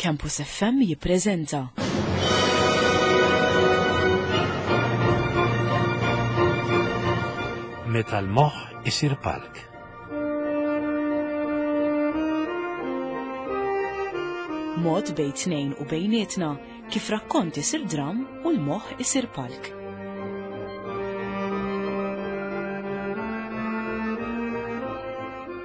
Campus FM jippreżenta. Meta l-moħħ isir palk. Mod bejn tnejn u bejnietna kif rakkont isir dram u l-moħħ isir palk.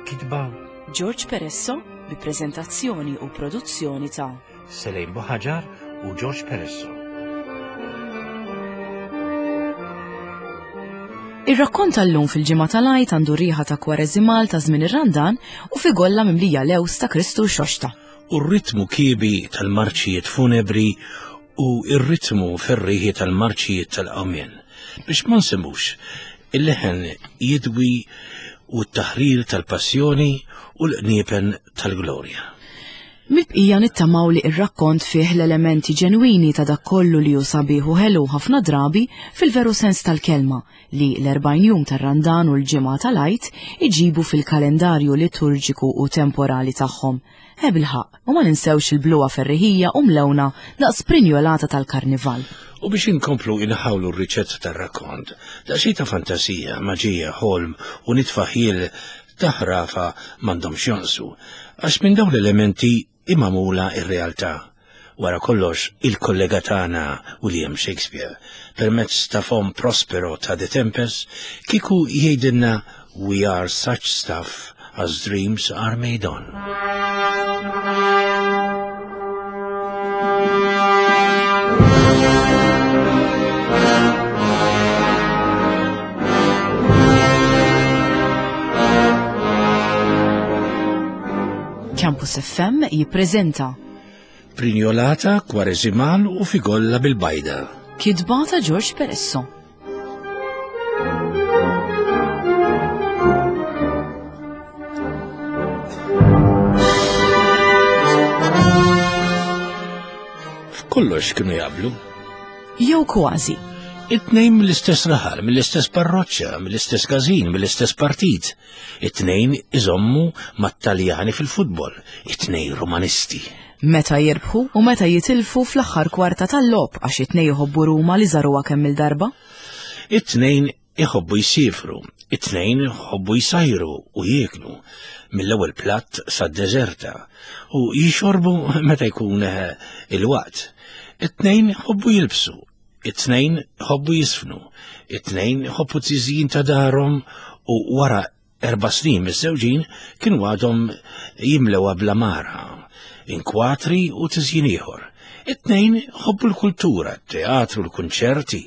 Kitba George Peresso bi preżentazzjoni u produzzjoni ta' Selejn Buħaġar u George Peresso. Ir-rakkont tal-lum fil-ġimgħa tal-Għid għandu riħa ta' kwareżimal ta' żmien ir-Randan u figolla mimlija lews ta' Kristu Xoxta. U r-ritmu kiebi tal-marċijiet funebri u r-ritmu ferrieħi tal-marċijiet tal-qawmien. Biex ma nsemmux il-leħen jidwi u t-taħrir tal-passjoni u l-qniepen tal-glorja. Mill-bqija nittamaw li r-rakkont fih l-elementi ġenwini ta' dak kollu li hu sabiħ u ħelu ħafna drabi fil-veru sens tal-kelma li l-40 jum tar-Randan u l-ġimgħa tal-Għid iġibu fil-kalendarju liturġiku u temporali tagħhom. Eh bilħaqq, u ma ninsewx il-bluha ferriħija u mlewna daqs prinjolata tal-karnival. U biex inkomplu inħawlu r-riċetta tar-rakkont, daqsxejn ta' fantasija, maġija, ħolm u nitfa' ħjiel ta' ħrafa m'għandhomx jonqsu, għax minn dawn l-elementi hi magħmula r-realtà. Wara kollox, il-kollega tagħna William Shakespeare, permezz ta' fomm Prospero ta' The Tempest, kieku jgħidilna We are such stuff as dreams are made on. Campus FM jippreżenta Prinjolata, kwareżimal u figolla bil-bajda. Kitba ta' George Peresso. F'kollox kienu jaqblu. Jew kważi. It-tnejn mill-istess raħal, mill-istess parroċċa, mill-istess każin, mill-istess partit. It-tnejn iżommu mat-Taljani fil-futbol, it-tnejn Romanisti. Meta jirbħu u meta jitilfu fl-aħħar kwarta tal-logħob għax it-tnejn iħobbu Ruma li żaruha kemm il-darba. It-tnejn iħobbu jsiefru, it-tnejn iħobbu jsajru u jieklu, mill-ewwel platt sad-deżerta, u jixorbu meta jkun eh, il-waqt. It-tnejn iħobbu jilbsu, it-tnejn iħobbu jisfnu, it-tnejn iħobbu tiżjin ta' darhom u wara Erba' snin miżżewġin kienu għadhom jimlewha bl-għamara, inkwatri u tiżjin ieħor. It-tnejn ħobbu l-kultura, t-teatru, l-kunċerti,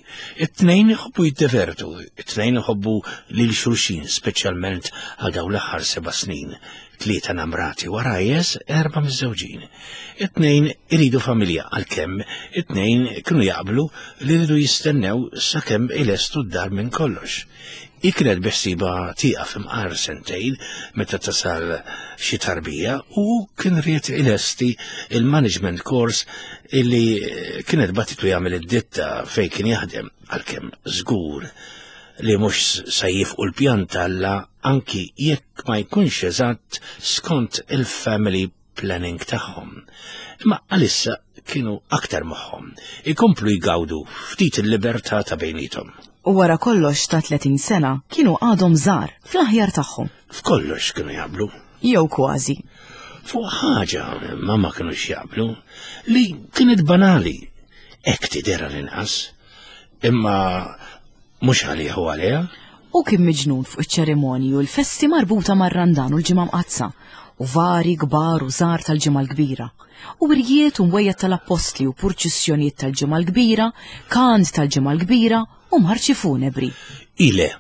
it-tnejn ħobbu jiddevertu, it-tnejn ħobbu lil xulxin, speċjalment għal dawn l-aħħar seba' snin. Tlieta namrati warajjes, erba' miżżewġin. It-tnejn iridu familja għalkemm it-tnejn kienu jaqblu li rridu jistennew sakemm ilestu d-dar minn kollox. Hi kienet beħsiebha tieqaf imqar sentejn meta tasal xi tarbija u kien ried ilesti il-management course illi kienet batitu jagħmel id-ditta fejn kien jaħdem għalkemm żgur li mhux se jifqu l-pjan t'Alla anki jekk ma jkunx eżatt skont il-family planning tagħhom. Imma għalissa kienu aktar moħħhom, ikomplu jgawdu ftit il-libertà ta' bejnietom. U wara kollox ta' 30 sena kienu għadhom żgħar fl-aħjar tagħhom. F'kollox kienu jaqblu. Jew kważi. Fuq ħaġa ma ma kinux jaqblu li kienet banali, hekk tidher għall-inqas. Imma Mhux għalih u għaliha. Hu kien miġnun fuq iċ-ċerimonji u l-festi marbuta mar-Randan u l-Ġimgħa Mqaddsa, u vari kbar u żgħar tal-Ġimgħa l-Kbira, u wirjiet u mwejjed tal-appostli u purċissjonijiet tal-Ġimgħa l-Kbira, kant tal-Ġimgħa l-Kbira u marċi funebri. Ile.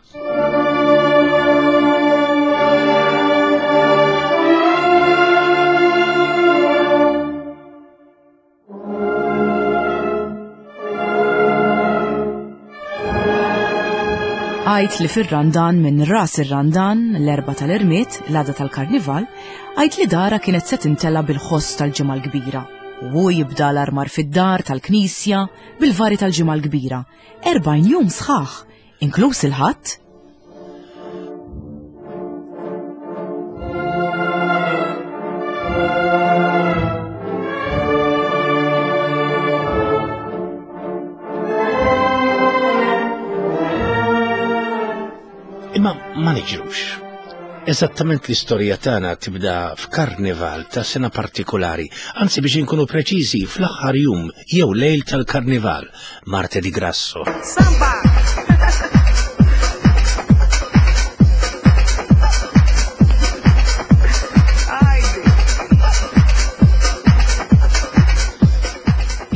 Għajt li fir-Randan minn ras ir-Randan, l-erba tal-irmiet, l-għada tal-Karnival, għajt li dara kienet se tintela bil-ħoss tal-Ġimgħa l-Kbira. U hu jibda l-armar fid-dar tal-Knisja bil-vari tal-Ġimgħa l-Kbira. 40 jum sħaħ, inkluż il-Ħadd. jiġrux. Eżattament l-istorja tagħna tibda f'karnival ta' sena partikolari, anzi biex inkunu preċiżi fl-aħħar jum jew lejl tal-karnival, Martedì Grasso. Samba!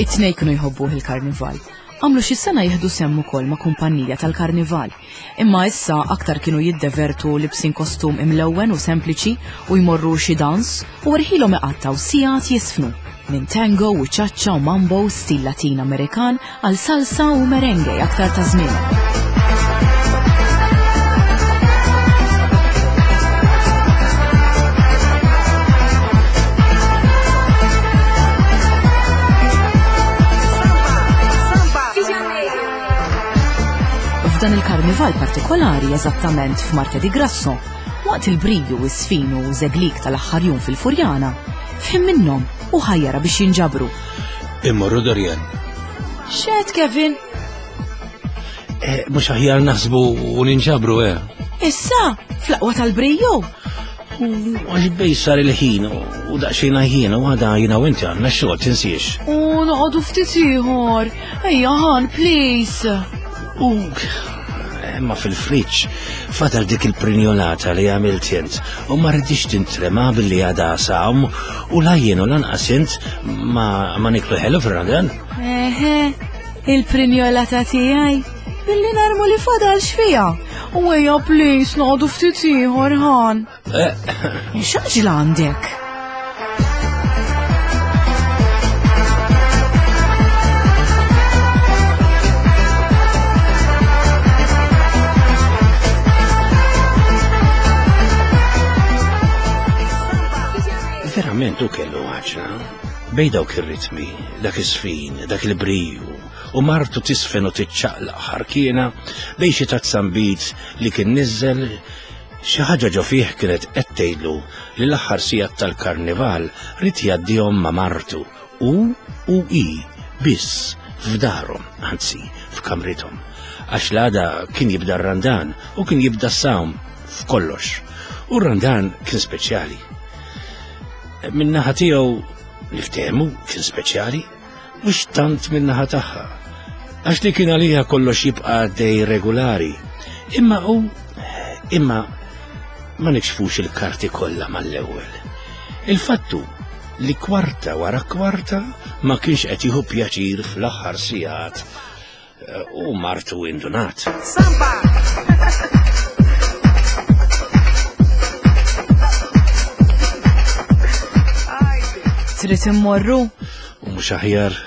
It-tnej kienu jħobbuh il-karnival. Għamlu xi sena jieħdu sehem ukoll ma' kumpanija tal-karnival. Imma issa aktar kienu jiddevertu libsin kostum imlewwen u sempliċi u jmorru xi dans u erħilhom iqattgħu sigħat jiżfnu. Minn tango u cha-cha u mambo stil Latin Amerikan għal salsa u merengue aktar ta' żmien. F'dan il-karnival partikolari eżattament f'Martedì Grasso, waqt il-briju u s-sfin u zeglik tal-aħħar jum fil-Furjana, f'ħin minnhom u ħajjara biex jinġabru. Immorru Dorian. Xed Kevin? Eh, mhux aħjar naħsbu u ninġabru, eh. Issa, fl-aqwa tal-briju? Għax bej sar il-ħin u daqsxejn ħin u għada jina u inti għandna xogħol tinsiex. U noqogħdu ftit ieħor. Ejja ħan, please. U imma fil-friġġ fadal dik il-prinjolata li għamilt int u ma rridix tintrema billi għada sawm u la jien u lanqas int ma, ma niklu ħelu fir-Ramadan. Eħe, il-prinjolata tiegħi billi narmu li fadal xfija. U ejja please noqogħdu ftit ieħor ħan. Eh. X'għaġla għandek? Verament u kellu għaġla. Bej dawk ir-ritmi, dak is-sfin, dak il-briju, u martu tisfen u tiċċaqlaq ħarkiena bejn xi tazzambit li kien niżel Xi ħaġa ġo fih kienet qed tgħidlu li l-aħħar sigħat tal-karnival ried jgħaddihom ma' martu, hu u hi biss f'darhom, anzi f'kamrithom. Għax l-għada kien jibda r-Randan u kien jibda s-sawm f'kollox. U r-Randan kien speċjali. Min-naħa tiegħu niftehmu kien speċjali. Mhux tant min-naħa tagħha, għax li kien għaliha kollox jibqa' għaddej regolari. Imma hu imma ma nikxfux il-karti kollha mal-ewwel. Il-fattu li kwarta wara kwarta ma kienx qed jieħu pjaċir fl-aħħar sigħat U martu indunat. Samba! Trid immorru? U mhux aħjar.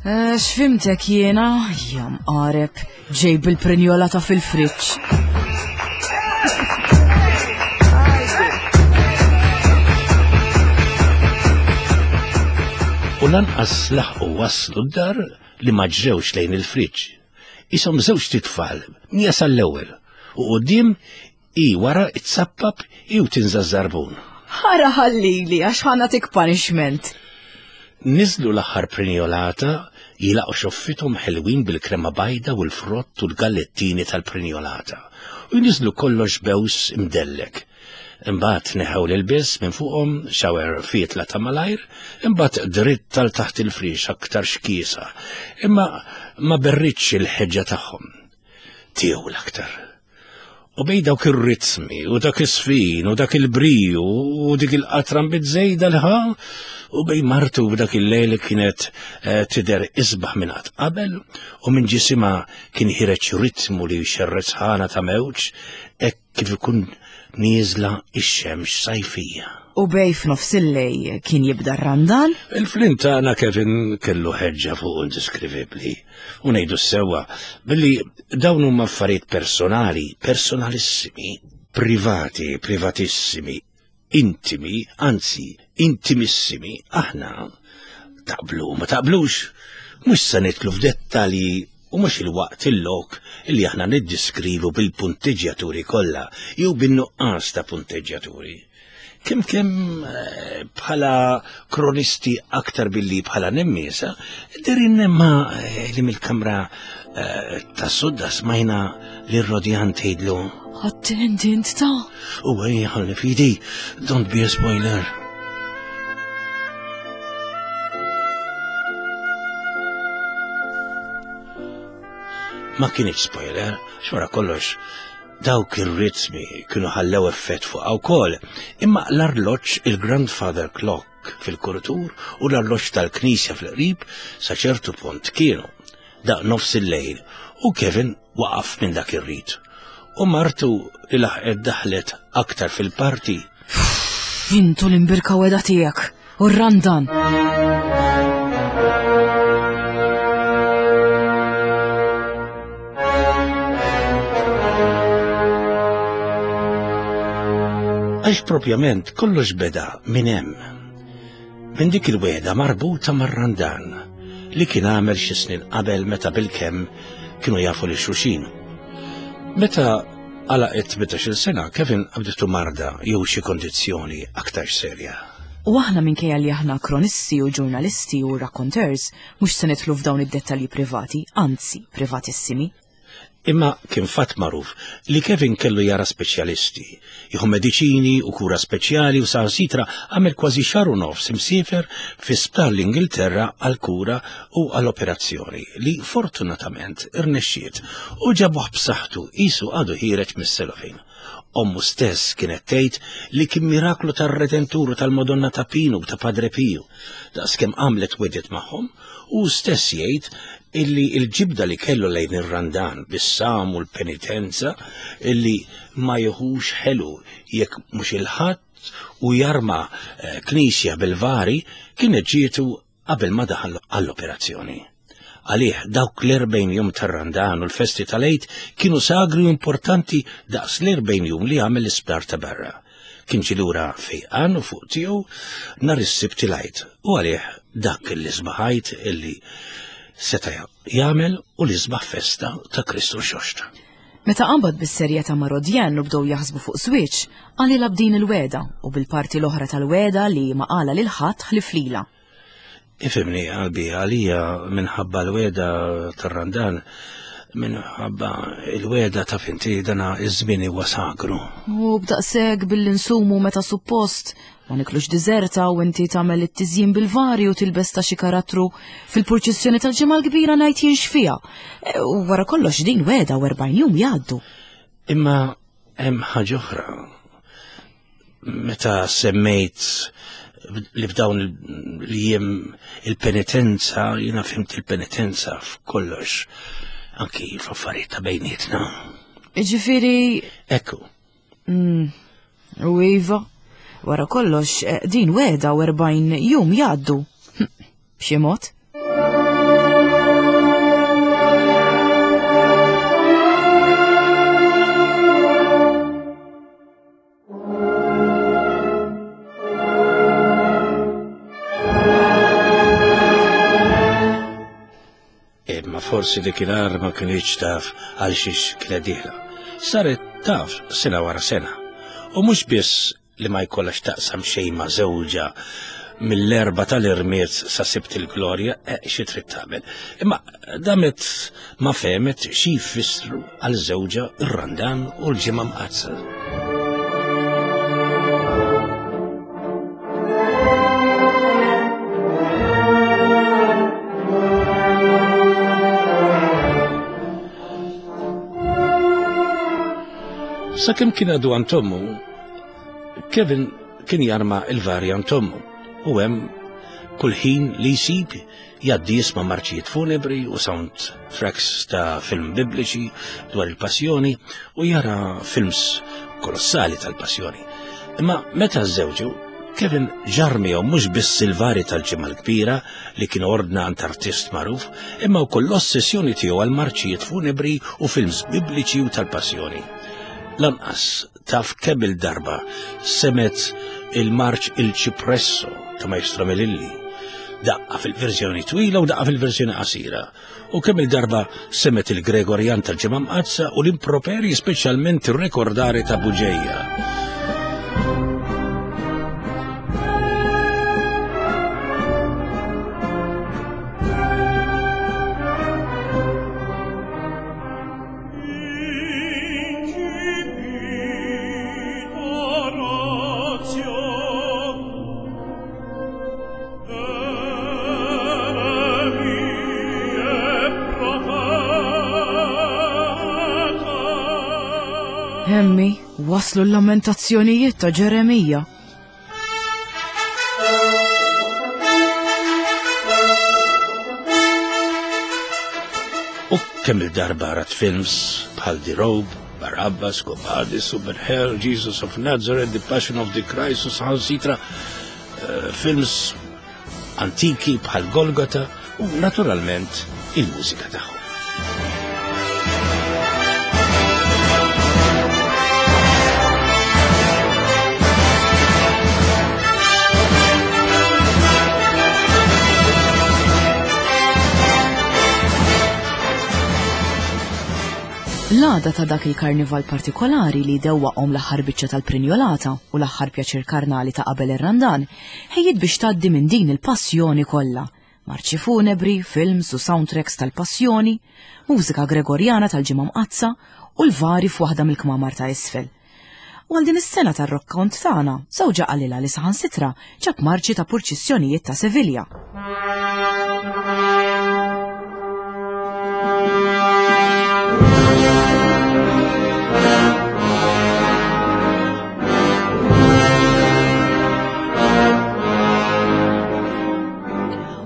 Eh, x'fimtek jiena? Jam qareb, ġej bil-prinjola ta' fil-friġġ. U lanqas laħqu waslu d-dar li ma ġrewx lejn il-friġġ. Ishom żewġt itfal, Mia sal-ewwel, u quddiem hi wara itsappap hi u tinża' ż-żarbun. Ħara ħallili għax ħa nagħtik punishment. Niżlu l-aħħar prinjolata, jilaqgħu xoffithom ħelwin bil-krema bajda u l-frott u l-gallettini tal-prinjolata, u jniżlu kollox bews imdellek. Imbagħad neħew l-ilbies minn fuqhom, shower fietla ta' malajr, imbagħad dritt għal taħt il-friex aktar xkiesa, imma ma berritx il-ħeġġa tagħhom. Tiegħu l-aktar. U bej dawk ir-ritmi u dak is-sfin u dak il-briju u dik il-qatra bizzejda l-ħa u bej martu b'dak il-lejl kienet eh, tidher isbaħ minn qatt qabel u minn ġisimha kien ħireġ ritmu li jxerred sħana ta' mewġ hekk Kif ikun nieżla x-xemx sajfija. U bej f'nofs il-lej kien jibda r-Randan? Il-flint tagħna Kevin kellu ħeġġa fuq indiskrivibbli. U ngħidu s-sewwa, billi dawn huma affarijiet personali, personalissimi, privati, privatissimi, intimi, anzi, intimissimi, aħna taqblu ma taqblux, mhux se nidħlu f'dettalji u mhux il-waqt il-lok li aħna niddiskrivu bil-punteġġjaturi kollha jew bin-nuqqas ta' punteġġjaturi. Kemm kemm eh, bħala kronisti aktar billi bħala nemmiesa, derin nemma eh, li mill-kamra eh, ta' sodda smajna li r-rodjan tgħidlu. Attent int ta' U għaj ħalli fidi, don't be a spoiler. Ma kienx spoiler, xwara kollox Dawk ir-ritmi kienu ħallew effett fuqha wkoll, imma l-arloġġ il-grandfather clock fil-kuritur u l-arloġġ tal-knisja fil-qrib sa ċertu punt kienu. Daqq nofs il-lejl u Kevin waqaf minn dak ir-rit. U martu li laħqet daħlet aktar fil-parti. Intu l-imbirka weda tiegħek u r-randan. Għax propjament kollox beda minn hemm. Minn dik il-weda marbuta mar-Randan li kien għamel xi snin qabel meta bilkemm kienu jafu li xulxin. Meta għalaqet 18-il sena, Kevin qabditu marda jew xi kondizzjoni aktar serja. U aħna minkejja li aħna kronisti u ġurnalisti u raconteurs, mhux se nidħlu f'dawn id-dettalji privati, anzi privatissimi. Imma kien fatt magħruf li Kevin kellu jara speċjalisti, jieħu mediċini u kura speċjali u saħansitra għamel kważi xahar u nofs imsiefer fi sptar l-Ingilterra għal kura u għal operazzjoni li fortunatament irnexxiet u ġabuh b'saħħtu qisu għadu ħiereġ mis-cellophane. Ommu stess kienet tgħid li kien miraklu tar-Redentur u tal-Madonna ta' Pinu u ta' Padre Piju, daqskemm għamlet wedet magħhom, u stess jgħid illi l-ġibda li kellu lejn ir-Randan bis-sawm u l-penitenza illi ma jieħux ħelu jekk mhux il-Ħadd u jarma eh, knisja bil-vari kienet ġietu qabel ma daħal għall-operazzjoni. Għalih dawk l-40 jum tar-Randan u l-festi tal-Għid kienu sagri u importanti daqs l-40 jum li għamel l-isptar ta' barra. Kien ġie lura fejqan u fuq tiegħu nhar is-Sibt il-Għid u għalih dak l-isbaħ Għid illi seta' jagħmel u l-isbaħ festa ta' Kristu Rxoxt. Meta qabad bis-serjetà ma' Rodjan u bdew jaħsbu fuq żwieġ, qalilha b'din il-wegħda u bil-parti l-oħra tal-wegħda li ma qalha lil ħadd ħlief lilha. Ifhimni qalbi għalija minħabba l-wegħda tar-Randan, minħabba il-wegħda taf inti dana iż-żmien huwa sagru. U b'daqshekk billi nsumu meta suppost, ma niklux diżerta u inti tagħmel it-tiżjin bil-vari u tilbes ta' xi karattru fil-purċissjoni tal-Ġimgħa l-Kbira ngħid jien x'fiha. E, u wara kollox din wegħda u 40 jum jgħaddu. Imma hemm ħaġa oħra. Meta semmejt li f'dawn li jiem il-penitenza, jiena fhimt il-penitenza f'kollox, anki f'affarijiet ta' bejnietna. Ġifieri. Ekku. Mm, u iva, wara kollox, eh, din wegħda u 40 jum jgħaddu. B'xi mod? Imma forsi dik il-ar ma kinitx taf għal xiex kienet dieħla. Saret taf sena wara sena. U mhux biss li ma jkollha x'taqsam xejn ma' żewġha mill-Erbgħa tal-Irmied sa Sibt il-Glorja, eh, xi trid tagħmel. Imma damet ma fehmet xi jfissru għal żewġha r-Randan u l-Ġimgħa Mqaddsa. Sakemm kien għadu għand ommu, Kevin kien jarma il-vari għand ommu u hemm kull ħin li jsib jgħaddi jisma' marċijiet funebri u sound tracks ta' film bibliċi dwar il-passjoni u jara films kolossali tal-passjoni. Imma meta żewġu, Kevin ġarr miegħu mhux biss il-vari tal-Ġimgħa l-Kbira li kien ordna għand artist magħruf, imma wkoll l-ossessjoni tiegħu għal marċijiet funebri u films bibliċi u tal-passjoni. Lanqas taf kemm il-darba semet il-marċ Il Cipresso ta' Maestro Melilli, daqqa fil-verżjoni twila u daqqa fil-verżjoni qasira, u kemm il-darba semet il-Gregorjan tal-Ġimgħa Mqaddsa u l-improperji speċjalment ir-rekordari ta' Buġeja. Hemmi, waslu l-lamentazzjonijiet ta' Ġeremija. U kemm il-darba rat films bħal The Robe, Barabbas, Gobadis, Super Hell, Jesus of Nazareth, The Passion of the Christ, u saħansitra eh, films antiki bħal Golgota u naturalment il-mużika tagħhom. L-għada ta' dak il-karnival partikolari li dewwaqhom l-aħħar biċċa tal-prinjolata u l-aħħar pjaċir karnali ta' qabel ir-Randan, ħejjiet biex tgħaddi minn din il-passjoni kollha. Marċi funebri, films u soundtracks tal-passjoni, mużika Gregorjana tal-Ġimgħa Mqaddsa u l-vari f'waħda mill-kmamar ta' isfel. U għal din is-sena tar-rokkont tagħna, żewġha qalilha li saħansitra ġab marċi ta' purċissjonijiet ta' Sevilja.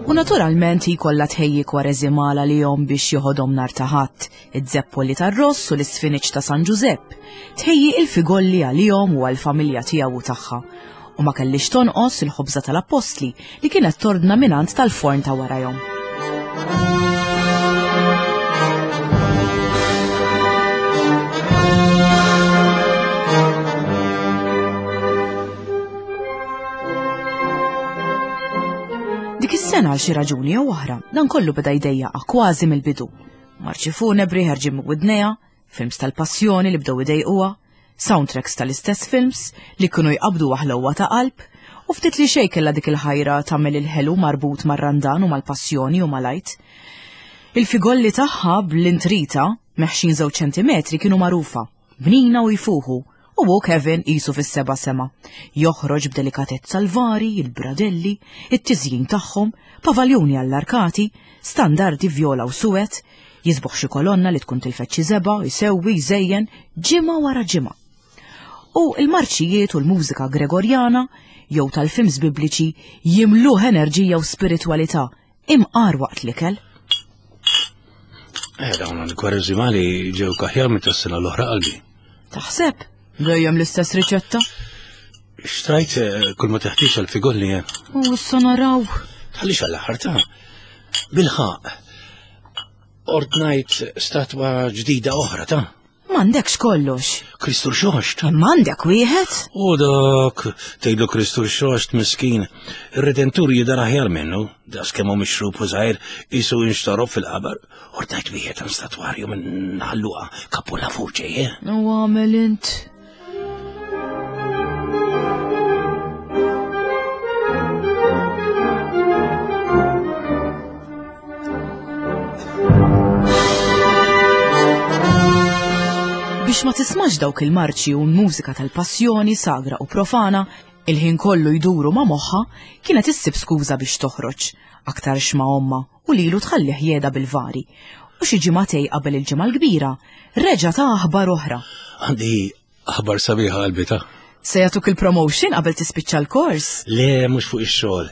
U naturalment hi kollha tħejji kwareżimala li jom biex joħodhom nhar ta' Ħadd, iż-zeppoli tar-ross u l-isfiniċ ta' San Ġużepp, tħejji il-figolli għalihom u għall-familja tiegħu u tagħha. U ma kellix tonqos il-ħobża tal-appostli li kienet tordna mingħand tal-forn ta' warajhom. Dik is-sena għal xi raġuni jew oħra, dan kollu beda jdejjaqha kważi mill-bidu. Marċi funebri ħerġin minn widnejha, films tal-passjoni li bdew idejquha, soundtracks tal-istess films li kienu jqabbdu ħlewwa ta' qalb, u ftit li xejn kellha dik il-ħajra tagħmel il-ħelu marbut mar-Randan u mal-passjoni u mal-Għid. Il-figolli tagħha bl-intrita, meħxin żewġ ċentimetri kienu magħrufa, bnina u jfuħu, u hu Kevin qisu fis-seba' sema. Joħroġ b'delikatezza l-vari, il-bradelli, it-tiżjin tagħhom, pavaljuni għall-arkati, standardi vjola u suwed, jisboħ xi kolonna li tkun tilfet xi żebgħa, jsewwi, jżejjen, ġimgħa wara ġimgħa. U l-marċijiet u l-mużika Gregorjana jew tal-films bibliċi jimluh enerġija u spiritwalità imqar waqt l-ikel. Eh, dawn il-kwarezimali ġew kaħjar minn tas-sena l-oħra qalbi. Taħseb? Dejjem l-istess riċetta? Xtrajt eh, kull ma teħtieġ għal figolli eh. U issa naraw. Tħallix għall-aħħar ta' bilħaq. Ordnajt statwa ġdida oħra ta' M'għandekx kollox. Kristu Rxoxt. Imma għandek wieħed? U dak, tgħidlu Kristu Rxoxt miskin. Ir-Redentur jidher aħjar minnu, daqs kemm hu mixrub u żgħir qisu inxtorob fil-qabar. Ordnajt wieħed għan statwarju minn ħalluqa kapolavur ġej, eh? U għamel int. Biex ma tismax dawk il-marċi u l-mużika tal-passjoni sagra u profana, il-ħin kollu jduru ma' moħħa, kienet issib skuża biex toħroġ, aktarx ma' ommha u lilu tħallih jeda bil-vari. U xi ġimagħtej qabel il-Ġimgħa l-Kbira, reġa' ta aħbar oħra. Għandi aħbar sabiħa qalbi ta. Se jagħtuk il-promotion qabel tispiċċa l-kors? Le, mhux fuq ix-xogħol,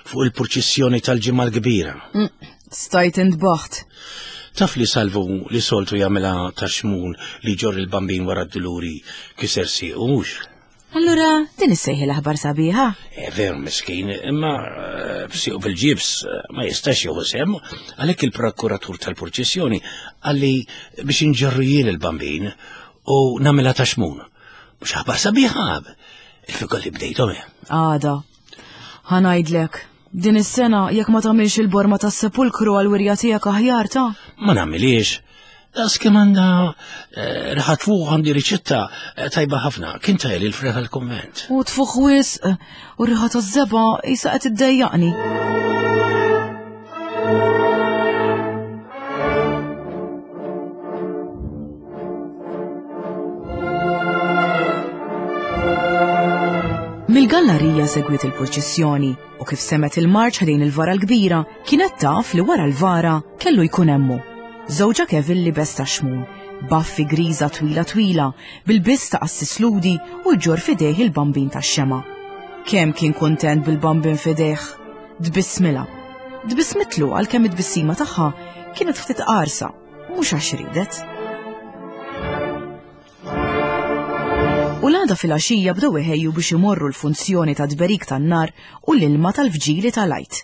fuq il-purċissjoni tal-Ġimgħa l-Kbira. Mm, stajt intbaħt. Taf li Salvu li soltu jagħmilha ta' xmun li ġor il-bambin wara d-duluri kiser siequ mhux? Allura, din issejħi l-aħbar sabiħa? Eh, veru miskin, imma eh, f'siequ fil-ġibs eh, ma jistax jieħu sem, għalhekk il-prokuratur tal-purċissjoni għalli biex inġorru jien il-bambin u nagħmilha ta' xmun. Mhux aħbar sabiħa, il-figolli bdejthom. Għada. Ħanajdlek, din is-sena jekk ma tagħmilx il-borma tas-sepulkru għall-wirja tiegħek aħjar ta'. Ma nagħmiliex. Daqs kemm għandha eh, riħa tfuħ għandi riċetta eh, tajba ħafna. Kien tajli l-freħ għal-kumment. U tfuħ wisq eh, u riħa taż-żeba jisa qed iddejjaqni. Mill-gallarija segwiet il-purċissjoni u kif semet il-marċ ħdejn il-vara l-kbira kienet taf li wara l-vara kellu jkun hemmu. Żewġha Kevin libes ta' xmun. Baffi griża twila twila, bil-biss ta' qassis ludi u jġorr f'idejh il-bambin tax-xemgħa. Kemm kien kuntent bil-bambin f'idejh! Tbissmilha. Tbissmitlu għalkemm it-tbissima tagħha kienet ftit qarsa, mhux għax riedet. U l-għada filgħaxija bdew iħejju biex imorru l-funzjoni ta' tberik tan-nar u l-ilma tal-vġili tal-Għid.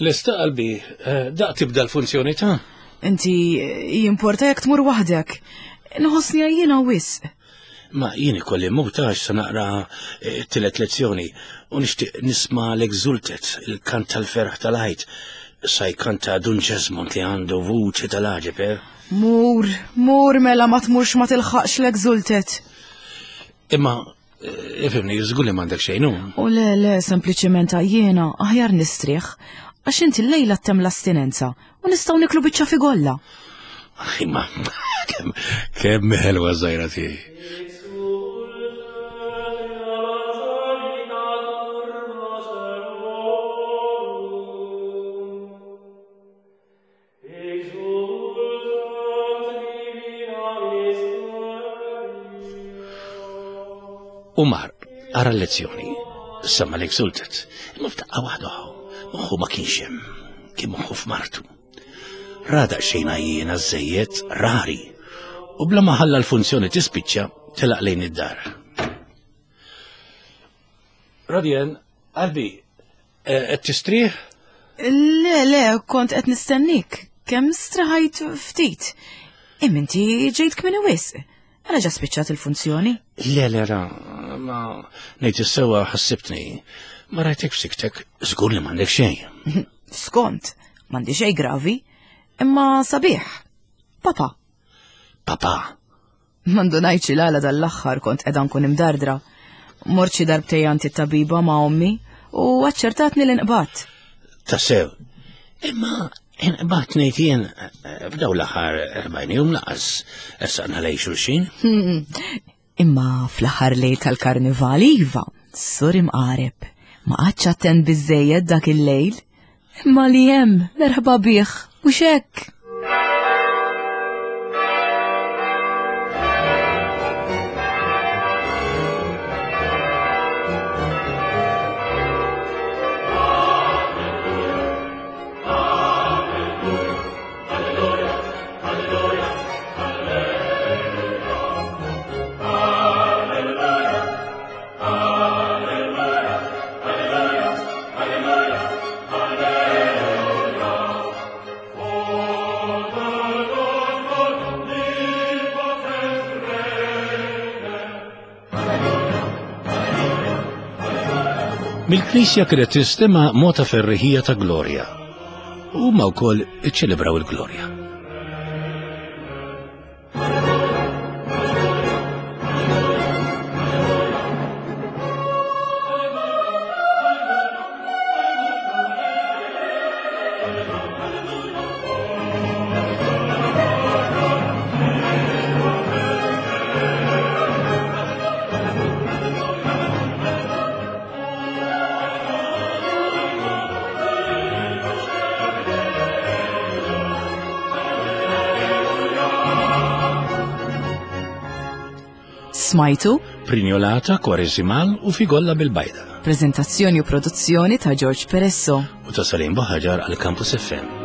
Lesta qalbi, eh, daq tibda l-funzjoni ta' Inti eh, jimporta jekk tmur waħdek. Nħossni għajjiena wisq. Ma jien ikolli mmut għax se naqra eh, t-tielet lezzjoni u nixtieq nisma' l-Exultet, il-kant tal-ferħ tal-Għid. Sa jkanta Dun Ġesmond li għandu vuċi tal-għaġeb, eh? Mur, mur mela ma tmurx ma tilħaqx l-Exultet. Imma eh, ifhimni, żgur li m'għandek xejn, hu? U le, le, sempliċiment għajjiena, aħjar nistrieħ, għax inti llejla ttemm l-astinenza u nistgħu niklu biċċa figolla. Imma kemm kemm ħelwa żgħira tiegħi. U mar, ara l-lezzjoni, semma l-exultet, imma f'daqqa waħda moħħu ma kienx hemm, kien moħħu f'martu. Ra daqsxejn għajjiena żejjed, rari, u bla ma ħalla l-funzjoni tispiċċa telaq lejn id-dar. Radjen, qalbi, eh, qed tistrieħ? Le, le, kont qed nistennik. Kemm straħajt ftit. Imma inti ġejt kmieni wisq. Mela ġa spiċċat il-funzjoni? Le, le, ra, ma ngħid is-sewwa ħassibtni. Ma rajtek f'siktek, żgur li m'għandek xejn. Skont, m'għandi xejn gravi, imma sabiħ. Papa. Papa. Ma ndunajtx il-għala dal-aħħar kont qiegħda nkun imdardra. Mort xi darbtejn għand it-tabiba ma' ommi u aċċertatni li nqbadt. Tassew. Imma inqbadt ngħid jien eh, f'daw l-aħħar 40 jum laqas essaqna lej xulxin. Imma fl-aħħar lejl tal-karnival iva, sur imqareb. Ma qgħadx attent biżejjed dak il-lejl. Imma li hemm, merħba bih, u hekk. Mill-knisja kienet tinstema' mota ferriħija ta' glorja. Huma wkoll iċċelebraw il-glorja. Smajtu? Prinjolata, Kwareżimal u Figolla bil-Bajda. Prezentazzjoni u produzzjoni ta' George Peresso. U ta' Salim Buħaġar għal Campus FM.